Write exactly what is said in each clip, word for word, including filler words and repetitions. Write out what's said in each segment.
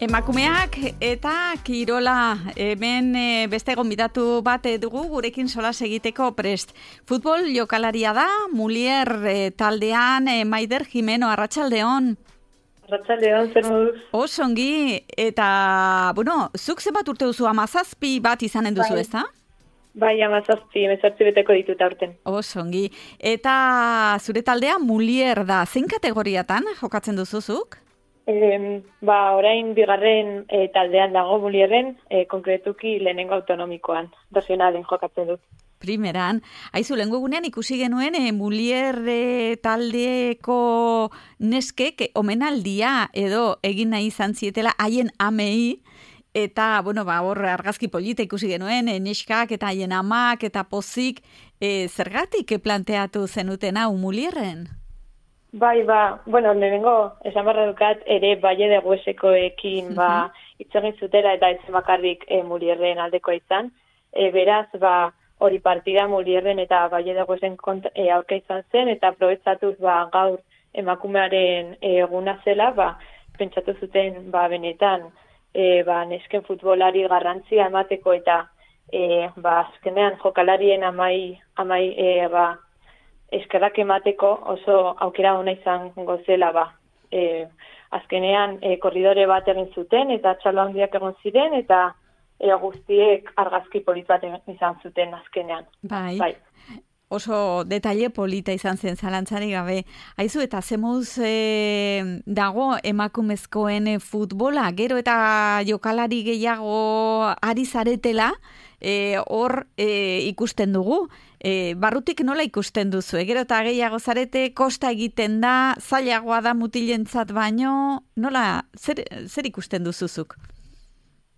Emakumeak eta kirola, hemen e, beste gonbidatu bat dugu gurekin solas egiteko prest. Futbol jokalaria da, Mulier e, taldean, e, Maider Jimeno, arratsaldeon. Arratsaldeon, zer moduz? Osongi, eta, bueno, zuk zenbat urte duzu, amazazpi bat izanen duzu, bai. ezta? Bai, amazazpi, mezartzi beteko ditut aurten. Osongi, eta zure taldea Mulier da, zein kategoriatan jokatzen duzuzuk? E, ba, orain bigarren e, taldean dago Mulierren, e, konkretuki lehenengo autonomikoan, regionalen jokatzen dut. Primeran, haizu, lehengo egunean ikusi genuen e, Mulier e, taldeko neskek omenaldia edo egin nahi izan zietela haien amei, eta, bueno, ba, hor argazki polita ikusi genuen, e, neskak eta haien amak eta pozik, e, zergatik planteatu zenuten hau Mulierren? Bai, ba, bueno, lehenengo esan barra dukat ere Baie de Huesekoekin uh-huh. ba, itzegin zutela eta ez bakarrik e, Mulierren aldekoa izan. E, beraz, ba, hori partida Mulierren eta Baie de Huesen e, aurka izan zen eta aprobetxatuz ba, gaur emakumearen e, eguna zela, ba, pentsatu zuten ba, benetan e, ba, nesken futbolari garrantzia emateko eta e, ba, azkenean jokalarien amai, amai e, ba, eskerrak emateko oso aukera ona izan gozela ba. E, azkenean e, korridore bat egin zuten eta txalo handiak egon ziren eta e, guztiek argazki polit bat izan zuten azkenean. Bai. Bai. Oso detaile polita izan zen zalantzari gabe. Aizu, eta zemuz e, dago emakumezkoen futbola, gero eta jokalari gehiago ari zaretela, e, hor e, ikusten dugu. E, barrutik nola ikusten duzu? Gero eta gehiago zarete, kosta egiten da, zailagoa da mutilentzat baino, nola, zer, zer ikusten duzuzuk?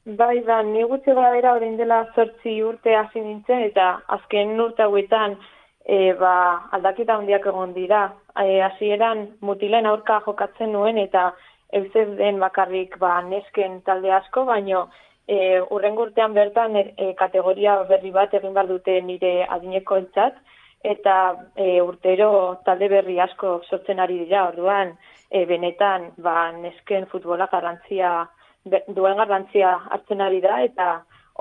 Bai, ba, ni gutxi gara bera orain dela zortzi urte hasi nintzen, eta azken urte hauetan e, ba, aldaketa handiak egon dira. E, hasieran mutilen aurka jokatzen nuen, eta eusez den bakarrik ba, nesken talde asko, baino E, urrengo urtean bertan e, kategoria berri bat egin behar dute nire adineko entzat, eta e, urtero talde berri asko sortzen ari dira, orduan e, benetan ba, nesken futbola garrantzia, duen garrantzia hartzen ari da, eta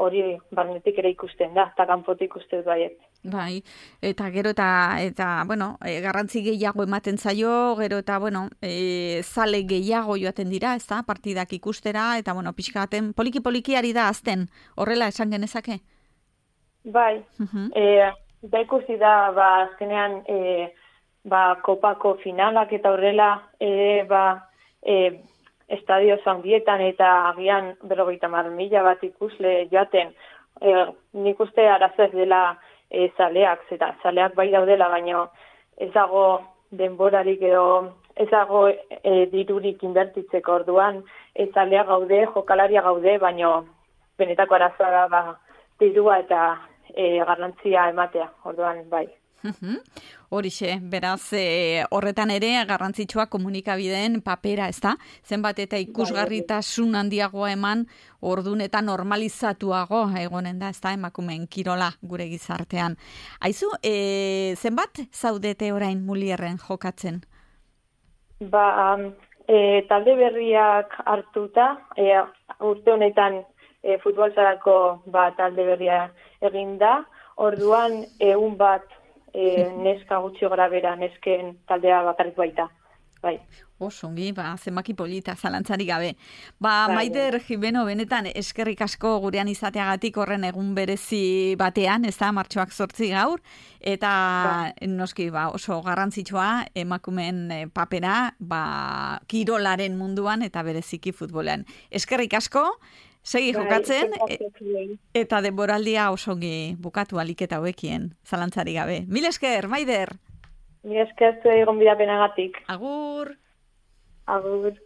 hori barnetik ere ikusten da, eta kanpotik ikusten dut baiet. Bai, eta gero eta, eta bueno, e, garrantzi gehiago ematen zaio, gero eta, bueno, e, zale gehiago joaten dira, ez da, partidak ikustera, eta, bueno, pixkaten poliki-poliki ari da azten, horrela esan genezake? Bai, uh-huh. e, da ikusi da, ba, azkenean, e, ba, kopako finalak eta horrela, e, ba, e, estadio handietan eta agian berrogeita hamar mila bat ikusle joaten, e, nik uste arazez dela e, zaleak, zeta zaleak bai daudela, baina ez dago denborarik edo ez dago e, dirurik inbertitzeko, orduan ez zaleak gaude, jokalaria gaude, baina benetako arazoa da ba, dirua eta e, garrantzia ematea, orduan bai. Horixe, beraz, e, horretan ere garrantzitsua komunikabideen papera, ez da? Zenbat eta ikusgarritasun handiagoa eman, ordun eta normalizatuago egonen da, ez da, emakumeen kirola gure gizartean. Aizu, e, zenbat zaudete orain Mulierren jokatzen? Ba, e, talde berriak hartuta, e, urte honetan e, futbolzarako ba, talde berria egin da, orduan egun bat E, neska gutxi gora bera, nesken taldea bakarrik baita. Bai. Osongi, ba, zenbaki polita, zalantzari gabe. Ba, bai, Maider Jimeno, benetan eskerrik asko gurean izateagatik horren egun berezi batean, ez da, martxoak zortzi gaur, eta bai. Noski, ba, oso garrantzitsua emakumeen papera, ba, kirolaren munduan eta bereziki futbolean. Eskerrik asko, segi jokatzen, e, eta denboraldia osongi bukatu aliketa hauekien, zalantzari gabe. Mil esker, Maider! Mil esker zuei gonbidapenagatik. Agur! Agur!